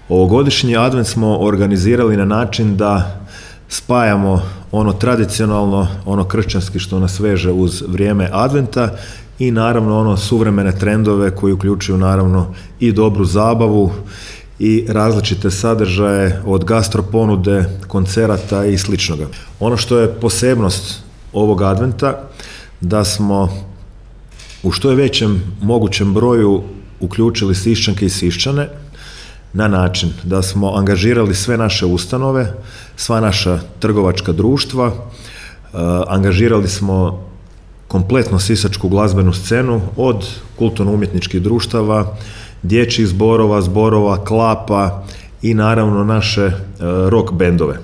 Ovogodišnji advent smo organizirali na način da spajamo ono tradicionalno, ono kršćanski što nas veže uz vrijeme adventa i naravno ono suvremene trendove koji uključuju naravno i dobru zabavu i različite sadržaje od gastro ponude, koncerata i sličnoga. Ono što je posebnost ovog adventa da smo u što je većem mogućem broju uključili Siščanke i Siščane na način da smo angažirali sve naše ustanove, sva naša trgovačka društva, angažirali smo kompletno sisačku glazbenu scenu od kulturno-umjetničkih društava, dječjih zborova, klapa i naravno naše rock bendove.